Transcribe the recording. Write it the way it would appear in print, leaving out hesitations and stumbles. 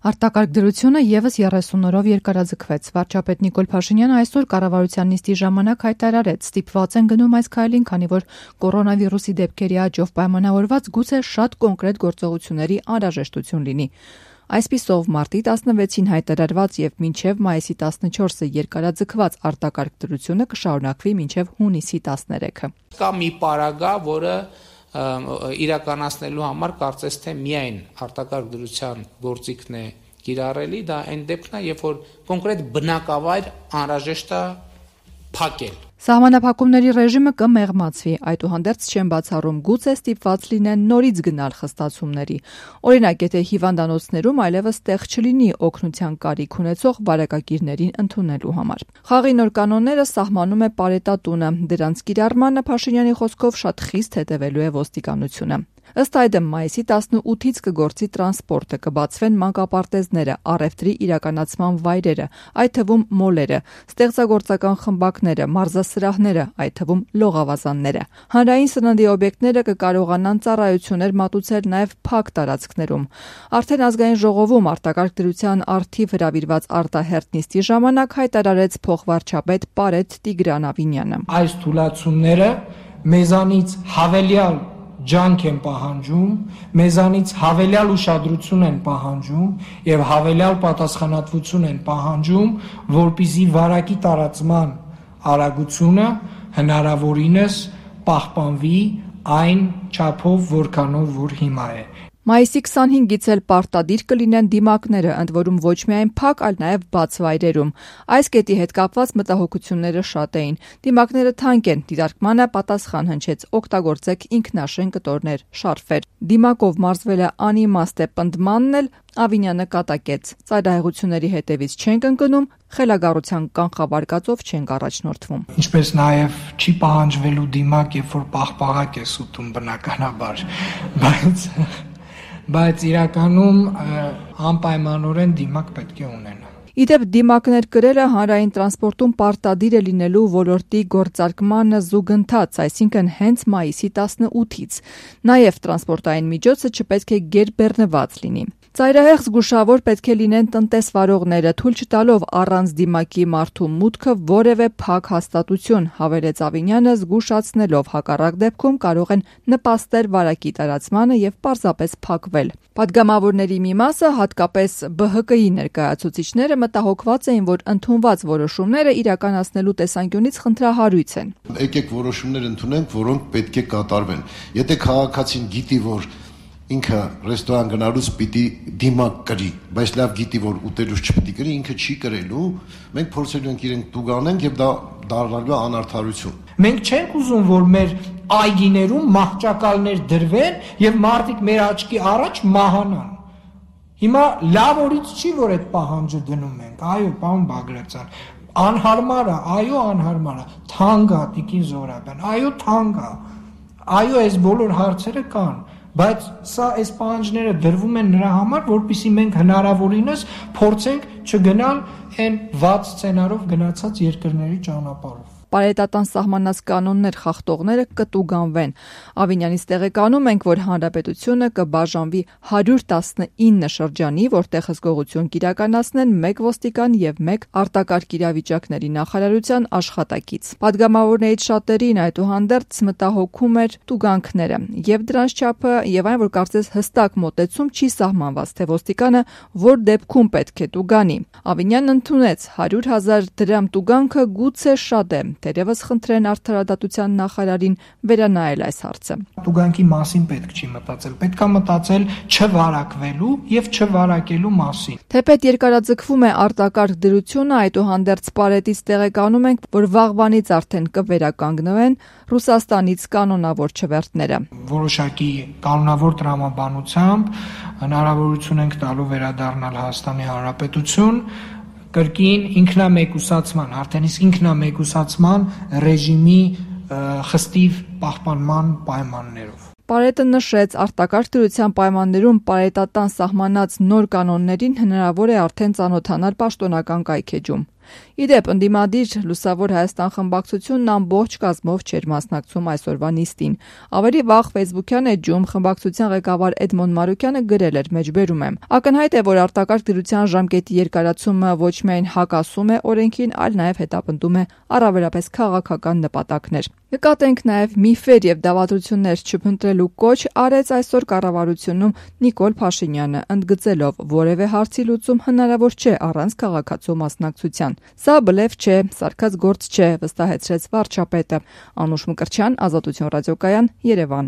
Արտակարգ դրությունը եւս 30 օրով երկարաձգվեց։ Վարչապետ Նիկոլ Փաշինյանը այսօր կառավարության նիստի ժամանակ հայտարարեց, ստիպված են գնում այս քայլին, քանի որ կորոնավիրուսի դեպքերի աճով պայմանավորված գուցե շատ կոնկրետ գործողությունների անհրաժեշտություն լինի։ Այսպիսով մարտի 16-ին հայտարարված եւ մինչեւ մայիսի 14-ը երկարաձգված արտակարգ դրությունը կշարունակվի մինչեւ հունիսի 13-ը։ Կա մի պարագա, որը իրականացնելու համար կարծես թե միայն արտակարգ դրության գործիքն է կիրառելի, դա այն դեպքն է, երբ որ կոնկրետ բնակավայր անհրաժեշտ է փակել։ Սահմանափակումների ռեժիմը կմեղմացվի, այդուհանդերձ չեն բացառում գուցե ստիպված լինեն նորից գնալ խստացումների։ Օրինակ, եթե հիվանդանոցներում այլևս տեղ չլինի օգնության կարիք ունեցող բարեկակիրներին ընդունելու համար։ Խաղի նոր կանոնները սահմանում է Պարետատունը, դրանց կիրառմանը Փաշինյանի խոսքով շատ խիստ հետևելու է ոստիկանությունը։ Ըստ այդմ մայիսի 18-ից կգործի տրանսպորտը, կբացվեն մանկապարտեզները, առևտրի իրականացման վայրերը, այդ թվում մոլերը, ստեղծագործական խմբակները, մարզասրահները, այդ թվում լողավազանները։ Հանրային սննդի օբյեկտները կկարողանան ծառայություններ մատուցել նաև փակ տարածքներում։ Արդեն ազգային ժողովում արտակարգ դրության առթիվ հրավիրված արտահերթ նիստի ժամանակ հայտարարեց փոխվարչապետ Պարետ Տիգրան Ավինյանը։ Այս թույլատությունները մեզանից հավելյալ ջանք են պահանջում, մեզանից հավելյալ ուշադրություն են պահանջում եւ հավելյալ պատասխանատվություն են պահանջում, որպեսզի վարակի տարածման արագությունը հնարավորինս պահպանվի այն չափով, որքանով որ հիմա է։ Մայիսի 25-ից էլ պարտադիր կլինեն դիմակները, ընդ որում ոչ միայն փակ, այլ նաև բաց վայրերում։ Այս կետի հետ կապված մտահոգությունները շատ էին։ Դիմակները թանկ են, դիտարկմանը պատասխան հնչեց, օգտագործեք ինքնաշեն կտորներ, շարֆեր։ Դիմակով մարզվելը անիմաստ է, պնդմանն էլ Ավինյանը կատակեց։ Ծայրահեղությունների հետևից չենք ընկնում, խելագարության կանխավարկածով չենք առաջնորդվում։ Ինչպես նաև չի պահանջվելու դիմակ, երբ որ պաղպաղակ է ուտում բնականաբար, բայց իրականում անպայմանորեն դիմակ պետք է ունենա։ Իդեպ դիմակներ կրելը հանրային տրանսպորտում պարտադիր է լինելու ոլորտի գործարկմանը զուգընթաց, այսինքն հենց մայիսի 18-ից։ Նաև տրանսպորտային միջոցը չպետք է գերբեռնված լինի։ Ծայրահեղ զգուշավոր պետք է լինեն տնտեսվարողները, թույլ չտալով առանց դիմակի մարդու մուտքը որևէ փակ հաստատություն, հավելեց Ավինյանը, զգուշացնելով հակառակ դեպքում կարող են նպաստել վարակի տարածմանը եւ պարզապես փակվել։ Պատգամավորների մի մասը, հատկապես ԲՀԿ-ի ներկայացուցիչները մտահոգված էին, որ ընդունված որոշումները իրականացնելու տեսանկյունից խնդրահարույց են։ Եկեք որոշումներ ընդունենք, որոնք պետք է կատարվեն։ Եթե քաղաքացին գիտի, որ ինքը ռեստորան գնալուց պիտի դիմակ կրի, բայց լավ գիտի, որ ուտելուց չպիտի կրի, ինքը չի կրելու, մենք փորձելու ենք իրենք տուգանենք եւ դա դառնալու է անարդարություն։ Մենք չենք ուզում, որ մեր այգիներում մահճակալներ դրվեն եւ մարդիկ մեր աչքի առաջ մահանան։ Հիմա լավ օրից չի, որ այդ պահանջը դնում ենք։ Այո, պարոն Բագրատյան, անհարմար է, այո, անհարմար է, թանկ է, Տիկին Զոհրաբյան, այո, թանկ է։ Այո, այս բոլոր հարցերը կան, բայց սա այս պահանջները դրվում են նրա համար, որպեսզի մենք հնարավորինս փորձենք չգնալ այն վատ սցենարով գնացած երկրների ճանապարհով։ Պարետատան սահմանած կանոններ խախտողները կտուգանվեն։ Ավինյանից տեղեկանում ենք, որ հանրապետությունը կբաժանվի 119 շրջանի, որտեղ հսկողություն կիրականացնեն 1 ոստիկան եւ 1 արտակարգ իրավիճակների նախարարության աշխատակից։ Պատգամավորներից շատերին այդուհանդերձ մտահոգում էր տուգանքները եւ դրանց չափը եւ այն, որ կարծես հստակ մոտեցում չի սահմանված, թե ոստիկանը որ դեպքում պետք է տուգանի։ Ավինյանն ընդունեց 100,000 դրամ տուգանքը գուցե շատ է, թերևս խնդրեն արդարադատության նախարարին վերանայել այս հարցը։ Տուգանքի մասին պետք չի մտածել, պետք է մտածել չվարակվելու եւ չվարակելու մասին։ Թեպետ երկարաձգվում է արտակարգ դրությունը, այդուհանդերձ Պարետից տեղեկանում ենք, որ վաղվանից արդեն կվերականգնվեն Ռուսաստանից կանոնավոր չվերթները։ Որոշակի կանոնավոր տրամաբանությամբ հնարավորություն ենք տալու վերադառնալ Հայաստանի Հանրապետություն կրկին ինքնամեկուսացման, արդեն իսկ ինքնամեկուսացման ռեժիմի խստիվ պահպանման պայմաններով։ Պարետը նշեց, արտակարգ դրության պայմաններում պարետատան սահմանած նոր կանոններին հնարավոր է արդեն ծանոթանալ պաշտոնական կայքեջում։ Իդեպ ընդդիմադիր Լուսավոր Հայաստան խմբակցությունն ամբողջ կազմով չէր մասնակցում այսօրվա նիստին։ Ավելի վաղ Facebook-յան էջում խմբակցության ղեկավար Էդմոն Մարուկյանը գրել էր մեջբերում եմ. Ակնհայտ է, որ արտակարգ դրության ժամկետի երկարացումը ոչ միայն հակասում է օրենքին, այլ նաև հետապնդում է առավելապես քաղաքական նպատակներ։ Նկատենք նաև միֆեր եւ դավադրություններ չփնտրելու կոչ արեց այսօր կառավարությունում Նիկոլ Փաշինյանը, ընդգծելով, որևէ հարցի լուծում հնարավոր չէ առանց քաղաքացու մասնակցության։ Սա բլեֆ չէ, սարքած գործ չէ, վստահեցրեց վարչապետը։ Անուշ Մկրտչյան, Ազատություն ռադիոկայան, Երևան։